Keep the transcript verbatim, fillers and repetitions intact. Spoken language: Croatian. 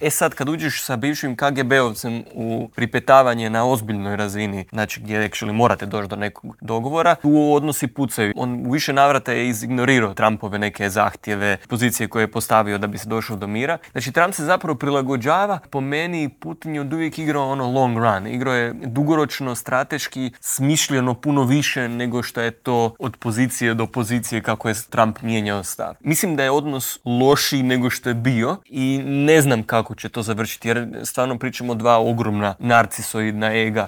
E sad, kad uđeš sa bivšim K G B-ovcem u pripetavanje na ozbiljnoj razini, znači gdje actually morate doći do nekog dogovora, tu odnosi pucaju. On u više navrata je izignorirao Trumpove neke zahtjeve, pozicije koje je postavio da bi se došlo do mira. Znači, Trump se zapravo prilagođava. Po meni, Putin je od uvijek igrao ono long run. Igrao je dugoročno, strateški, smišljeno puno više nego što je to od pozicije do pozicije kako je Trump mijenjao stav. Mislim da je odnos lošiji nego što je bio i ne znam kako će to završiti, jer stvarno pričamo o dva ogromna narcisoidna ega